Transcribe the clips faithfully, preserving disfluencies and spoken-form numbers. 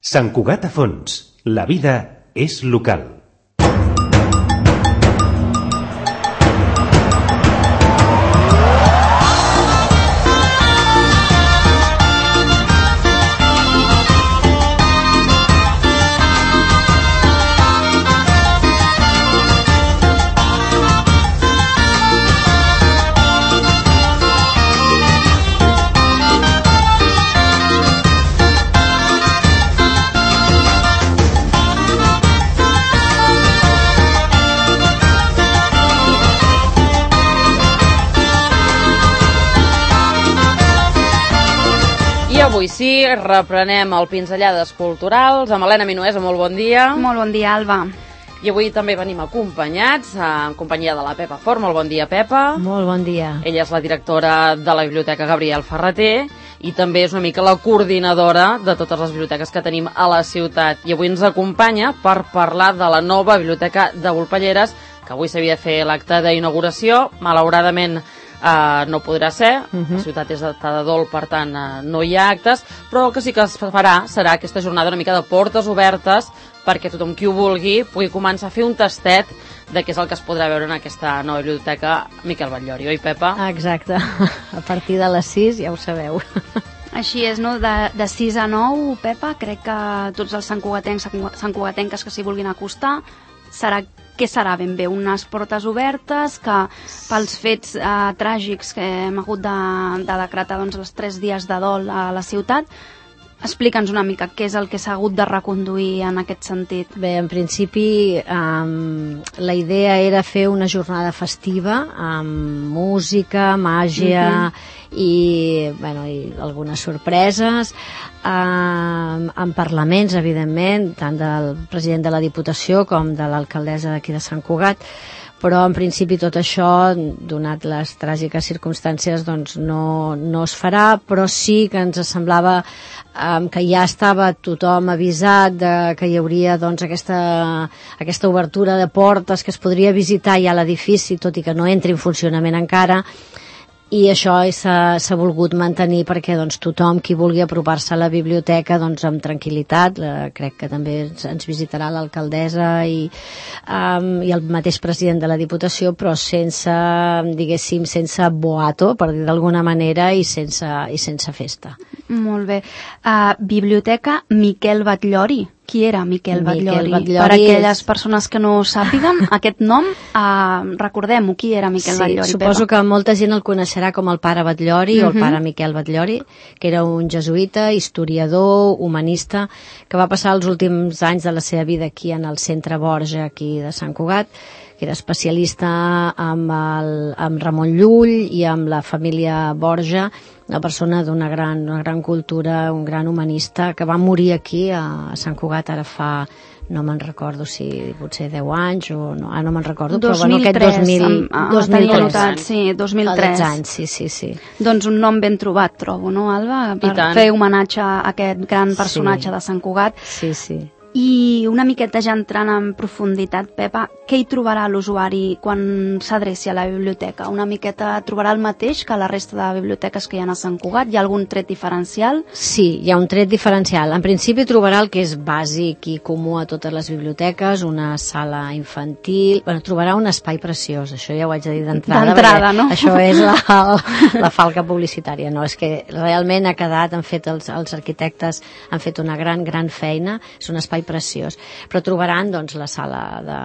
Sant Cugat a fons. La vida és local. Avui sí, reprenem el Pinzellades Culturals amb Helena Minuesa. Molt bon dia. Molt bon dia, Alba. I avui també venim acompanyats, en companyia de la Pepa Fort. Molt bon dia, Pepa. Molt bon dia. Ella és la directora de la Biblioteca Gabriel Ferrater i també és una mica la coordinadora de totes les biblioteques que tenim a la ciutat. I avui ens acompanya per parlar de la nova Biblioteca de Volpelleres, que avui s'havia de fer l'acte d'inauguració. Malauradament Uh, no podrà ser, uh-huh. La ciutat és de dol, per tant uh, no hi ha actes, però el que sí que es farà serà aquesta jornada una mica de portes obertes perquè tothom qui ho vulgui pugui començar a fer un tastet de què és el que es podrà veure en aquesta nova biblioteca Miquel Batllori, oi, Pepa? Exacte, a partir de les sis ja ho sabeu. Així és, no? De, de sis a nou, Pepa, crec que tots els santcugatencs, santcugatenques que s'hi vulguin acostar, serà què serà ben bé? Unes portes obertes que pels fets eh, tràgics que hem hagut de, de decretar doncs, els tres dies de dol a la ciutat. Explica'ns una mica què és el que s'ha hagut de reconduir en aquest sentit. Bé, en principi um, la idea era fer una jornada festiva amb música, màgia uh-huh. i, bueno, i algunes sorpreses, um, amb parlaments, evidentment, tant del president de la Diputació com de l'alcaldessa d'aquí de Sant Cugat, però en principi tot això, donat les tràgiques circumstàncies, doncs no, no es farà, però sí que ens semblava um, que ja estava tothom avisat de que hi hauria doncs, aquesta, aquesta obertura de portes que es podria visitar ja a l'edifici, tot i que no entri en funcionament encara, i això s'ha volgut mantenir perquè doncs, tothom qui vulgui apropar-se a la biblioteca doncs, amb tranquil·litat, la, crec que també ens, ens visitarà l'alcaldessa i, um, i el mateix president de la Diputació, però sense, diguéssim, sense boato, per dir d'alguna manera, i sense, i sense festa. Molt bé. Uh, Biblioteca Miquel Batllori. Qui era Miquel Batllori? Batllori per aquelles és... persones que no sàpiguen aquest nom, uh, recordem-ho, qui era Miquel sí, Batllori? Suposo Pepa? que molta gent el coneixerà com el pare Batllori, uh-huh. o el pare Miquel Batllori, que era un jesuïta, historiador, humanista, que va passar els últims anys de la seva vida aquí en el centre Borja, aquí de Sant Cugat, que era especialista amb, el, amb Ramon Llull i amb la família Borja, una persona d'una gran, una gran cultura, un gran humanista, que va morir aquí a Sant Cugat ara fa, no me'n recordo si potser deu anys o no, ah, no me'n recordo, dos mil tres, però bueno, aquest dos mil, amb, dos mil tres. Notat, sí, dos mil tres. anys, sí, sí, sí. Doncs un nom ben trobat, trobo, no, Alba? Per fer homenatge a aquest gran personatge sí. de Sant Cugat. Sí, sí. I una miqueta ja entrant en profunditat, Pepa, què hi trobarà l'usuari quan s'adreci a la biblioteca? Una miqueta trobarà el mateix que la resta de biblioteques que hi ha a Sant Cugat? Hi ha algun tret diferencial? Sí, hi ha un tret diferencial. En principi trobarà el que és bàsic i comú a totes les biblioteques, una sala infantil... Bueno, trobarà un espai preciós, això ja ho haig de dir d'entrada. D'entrada, no? Això és la, la falca publicitària, no? És que realment ha quedat, han fet els, els arquitectes, han fet una gran, gran feina, és un espai preciós, però trobaran doncs la sala de,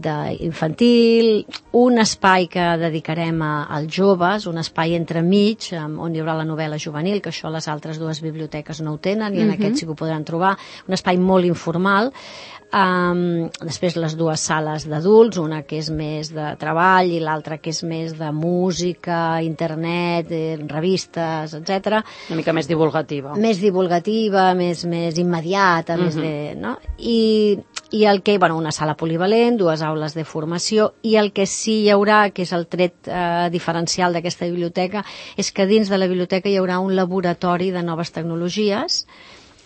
de infantil, un espai que dedicarem a, als joves, un espai entremig on hi haurà la novel·la juvenil, que això les altres dues biblioteques no ho tenen i en uh-huh. aquest sí que ho podran trobar, un espai molt informal. Um, després les dues sales d'adults, una que és més de treball i l'altra que és més de música, internet, eh, revistes, etcètera. Una mica més divulgativa. Més divulgativa, més, més immediata, uh-huh. més de, no? I, i el que, bueno, una sala polivalent, dues aules de formació, i el que sí hi haurà, que és el tret eh, diferencial d'aquesta biblioteca, és que dins de la biblioteca hi haurà un laboratori de noves tecnologies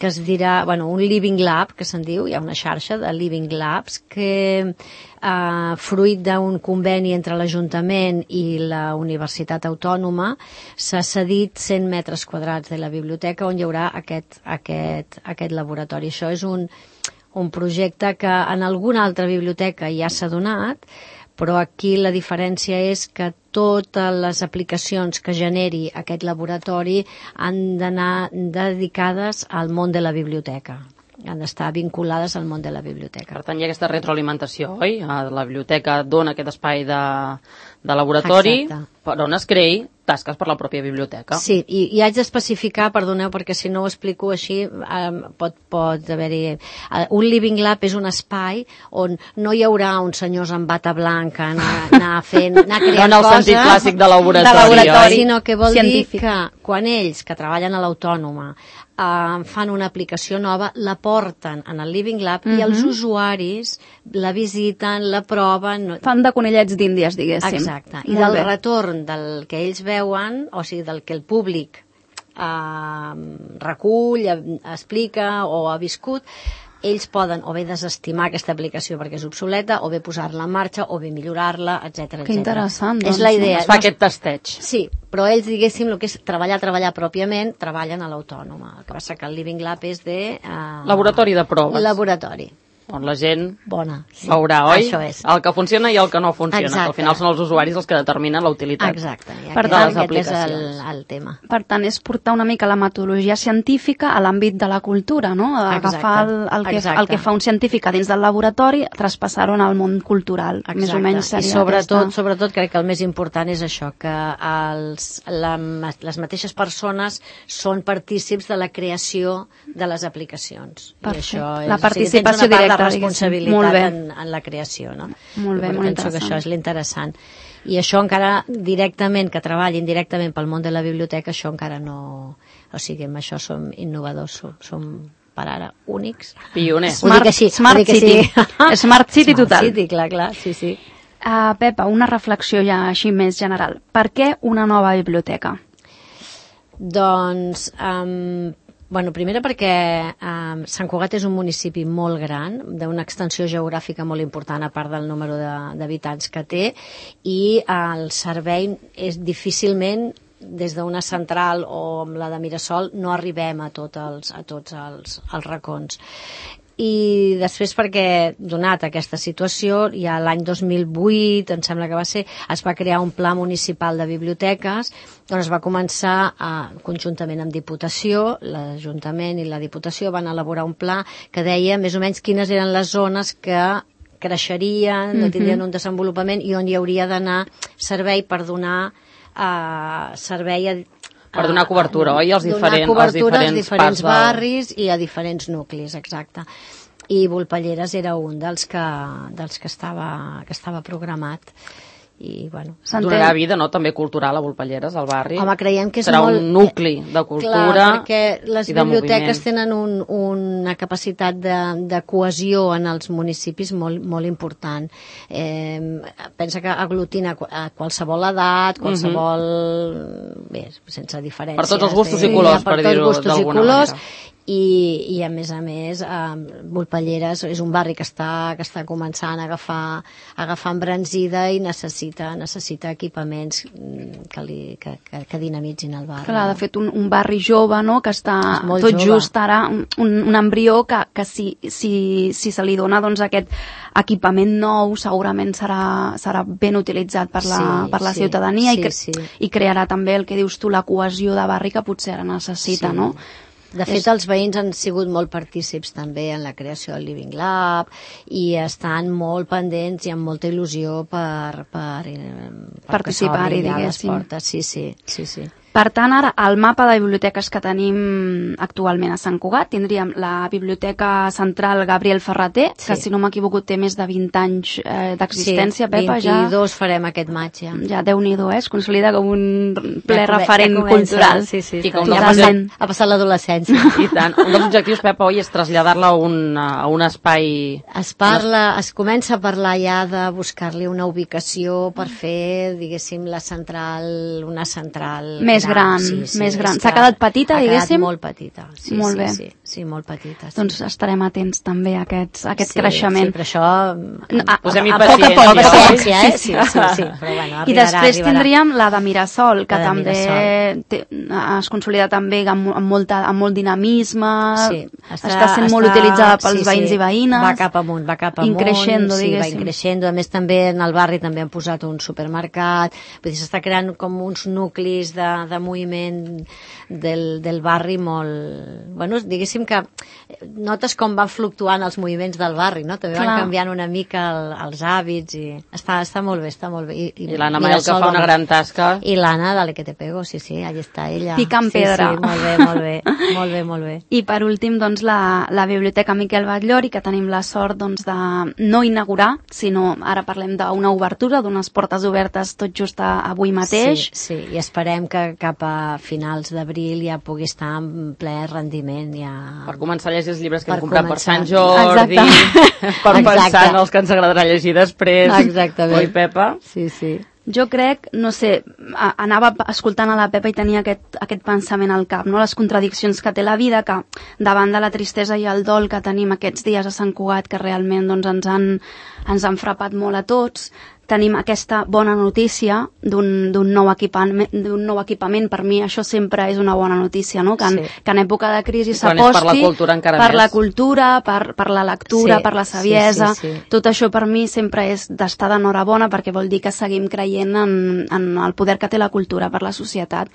que es dirà, bueno, un Living Lab, que se'n diu, hi ha una xarxa de Living Labs, que eh, fruit d'un conveni entre l'Ajuntament i la Universitat Autònoma s'ha cedit cent metres quadrats de la biblioteca on hi haurà aquest, aquest, aquest laboratori. Això és un, un projecte que en alguna altra biblioteca ja s'ha donat, però aquí la diferència és que totes les aplicacions que generi aquest laboratori han d'anar dedicades al món de la biblioteca, han d'estar vinculades al món de la biblioteca. Per tant, hi ha aquesta retroalimentació, oi? La biblioteca dona aquest espai de, de laboratori, exacte, per on es creï tasques per la pròpia biblioteca. Sí, i, i haig d'especificar, perdoneu, perquè si no ho explico així, um, pot, pot haver-hi... Uh, un Living Lab és un espai on no hi haurà uns senyors amb bata blanca anar, anar fent, anar creant no en el coses, sentit clàssic de laboratori, de laboratori, oi? Sinó que vol científic. dir que quan ells, que treballen a l'Autònoma, uh, fan una aplicació nova, la porten en el Living Lab uh-huh. i els usuaris la visiten, la proven... No... Fan de conellets d'Índies, diguéssim. Exacte. I Molt del bé. retorn del que ells veuen, o sigui, del que el públic eh, recull, explica o ha viscut, ells poden o bé desestimar aquesta aplicació perquè és obsoleta, o bé posar-la en marxa, o bé millorar-la, etcètera. Que interessant, doncs. És la idea. Es fa aquest tasteig. Sí, però ells, diguéssim, el que és treballar, treballar pròpiament, treballen a l'Autònoma. El que passa que el Living Lab és de... Eh, Laboratori de proves. Laboratori. On la gent Bona, sí. veurà, oi? Això és. El que funciona i el que no funciona. Exacte. Que al final són els usuaris els que determinen la utilitat. Exacte. I Per aquest, tant, aquest és el, aplicacions. el tema. Per tant, és portar una mica la metodologia científica a l'àmbit de la cultura, no? Agafar el, el, que, el que fa un científic a dins del laboratori, traspassar-ho al món cultural. Exacte. Més o menys seria I sobretot, aquesta... sobretot crec que el més important és això, que els, la, les mateixes persones són partícips de la creació de les aplicacions. Perfecte. I això és, La participació o sigui, tens una part directa, de responsabilitat molt bé. en, en la creació, no? Molt bé, I molt penso que interessant. això és l'interessant. I això encara directament, que treballin directament pel món de la biblioteca, això encara no... O sigui, amb això som innovadors, som, som per ara únics. Pioners. Ho dic així, Smart ho dic City. així. Smart City Smart total. City, clar, clar, sí, sí. Uh, Pepa, una reflexió ja així més general. Per què una nova biblioteca? Doncs, um, bueno, primera perquè um, Sant Cugat és un municipi molt gran, d'una extensió geogràfica molt important a part del número d'habitants que té, i el servei és difícilment, des d'una central o amb la de Mirasol, no arribem a, tot els, a tots els, els racons. I després perquè, donat aquesta situació, ja l'any dos mil vuit, em sembla que va ser, es va crear un pla municipal de biblioteques on es va començar, a, conjuntament amb Diputació, l'Ajuntament i la Diputació van elaborar un pla que deia més o menys quines eren les zones que creixerien, no tindrien un desenvolupament i on hi hauria d'anar servei per donar uh, servei a Per donar cobertura, a, oi? Als diferents, donar cobertura als als diferents, diferents parts barris del... i a diferents nuclis, exacte. I Volpelleres era un dels que, dels que, estava, que estava programat. I, bueno, donarà vida, no?, també cultural a Volpelleres, al barri. Home, creiem que és serà molt... un nucli de cultura. Clar, perquè les i de biblioteques moviment. tenen un, una capacitat de, de cohesió en els municipis molt, molt important. Eh, pensa que aglutina a qualsevol edat, qualsevol... Uh-huh. Bé, sense diferències. Per tots els gustos eh? i colors, per, per per dir-ho gustos i d'alguna colors. manera. I, i a més a més eh, Volpelleres és un barri que està, que està començant a agafar, a agafar embranzida i necessita, necessita equipaments que, li, que, que, que dinamitzin el barri. Clar, de fet, un, un barri jove, no?, que està tot jove. just ara, un, un embrió que, que si, si, si se li dona doncs, aquest equipament nou segurament serà, serà ben utilitzat per la, Sí, per la sí, ciutadania sí, i, cre sí. i crearà també el que dius tu, la cohesió de barri que potser ara necessita, Sí. no? De fet, els veïns han sigut molt partícips també en la creació del Living Lab i estan molt pendents i amb molta il·lusió per, per, per Participar-hi, les diguéssim. portes. Sí, sí, sí, sí. Per tant, ara, al mapa de biblioteques que tenim actualment a Sant Cugat, tindríem la Biblioteca Central Gabriel Ferrater, Sí. que si no m'equivoco té més de vint anys eh, d'existència, sí, Pepa, ja... vint-i-dos farem aquest maig, ja. Ja, Déu-n'hi-do, eh? Es consolida com un ple Ja come- referent ja comença, cultural. Sí, sí, I està- com ja no ha pot ser- passat, ha passat l'adolescència. I tant. Un dels objectius, Pepa, oi, és traslladar-la a, un, a un espai... Es parla, es comença a parlar ja de buscar-li una ubicació per fer, diguéssim, la central, una central Més més gran. Sí, sí, més gran. és S'ha que quedat petita, diguéssim? Ha quedat molt petita, sí, Molt sí, bé. sí, sí, molt petita. Sí. Doncs estarem atents també a aquest, a aquest sí, creixement. Sí, però això... No, a, Posem-hi a, a poc a paciència, poc, oi? paciència, eh? Sí, sí, sí, però bueno, arribarà, I després arribarà. tindríem la de Mirasol, que La de també Mirasol. té, es consolida també amb, amb, molta, amb molt dinamisme, Sí, està, està sent molt utilitzada pels sí, veïns sí, i veïnes. Va cap amunt, va cap amunt. Increixendo, sí, va diguéssim. increixendo. A més, també en el barri també han posat un supermercat. Vull dir, s'està creant com uns nuclis de, de moviment del, del barri molt... Bueno, diguéssim que notes com van fluctuant els moviments del barri, no? També van Clar. canviant una mica el, els hàbits i està, està molt bé, està molt bé. I, I l'Anna Manel, que fa una gran tasca. I l'Anna, dale que te pego, sí, sí, allà està ella. Picant sí, pedra. Sí, molt bé, molt bé, molt bé, molt bé. I per últim, doncs, la, la Biblioteca Miquel Batllori, que tenim la sort doncs, de no inaugurar, sinó ara parlem d'una obertura, d'unes portes obertes tot just a, avui mateix. Sí, sí, i esperem que cap a finals d'abril ja pugui estar en ple rendiment. Ja... Per començar a llegir els llibres que Per hem comprat començar. per Sant Jordi, Exacte. per pensar Exacte. en els que ens agradarà llegir després. Exactament. Oi, Pepa? Sí, sí. Jo crec, no sé, a- anava escoltant a la Pepa i tenia aquest, aquest pensament al cap, no? Les contradiccions que té la vida, que davant de la tristesa i el dol que tenim aquests dies a Sant Cugat, que realment doncs, ens, han, ens han frapat molt a tots, tenim aquesta bona notícia d'un d'un nou, equipament, d'un nou equipament. Per mi això sempre és una bona notícia, no? Que en, Sí. que en època de crisi Quan és per s'aposti la cultura encara per més. la cultura, per, per la lectura, Sí, per la sí, saviesa. sí, sí. Tot això per mi sempre és d'estar d'enhorabona, perquè vol dir que seguim creient en, en el poder que té la cultura per la societat.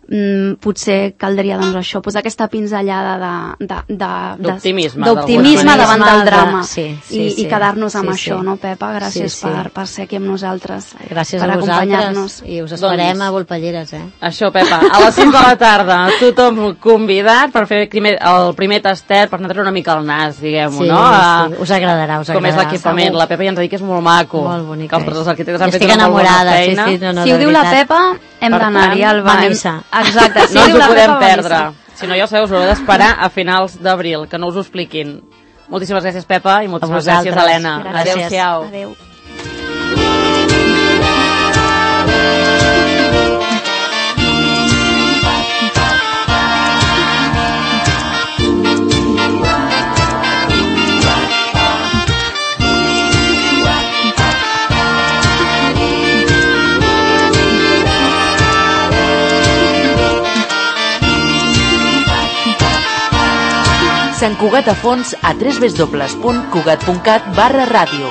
Mm, potser caldria doncs això, posar aquesta pinzellada de, de, de, de, D'optimisme, d'optimisme d'alguna davant manera. del drama Sí, sí, i, sí. i quedar-nos amb Sí, això, sí. no, Pepa? Gràcies Sí, sí. Per, per ser aquí amb nosaltres, Gràcies per a acompanyar-nos. vosaltres i us esperem Doncs- a Volpelleres, eh? Això, Pepa, a les sis de la tarda, tothom convidat per fer primer, el primer tastet, per anar-te una mica al nas, diguem-ho, Sí, no? A- sí, us agradarà, us Com és agradarà. l'equipament. segur. La Pepa ja ens ha dit que és molt maco. Molt bonic. Que els, els arquitectes han fet Estic una molt bona enamorada, sí, feina. sí, no, no, Si de ho diu la veritat. Pepa, hem Per d'anar-hi tant, al va a bany. missa. Exacte, si No ho us diu ho la podem Pepa, va a perdre. missa. Si no, ja ho sabeu, us haureu d'esperar a finals d'abril, que no us ho expliquin. Moltíssimes gràcies, Pepa, i moltíssimes gràcies, vosaltres. Helena. Gràcies. Adéu-siau. Adéu. Sant Cugat a fons a w w w punt cugat punt cat barra ràdio.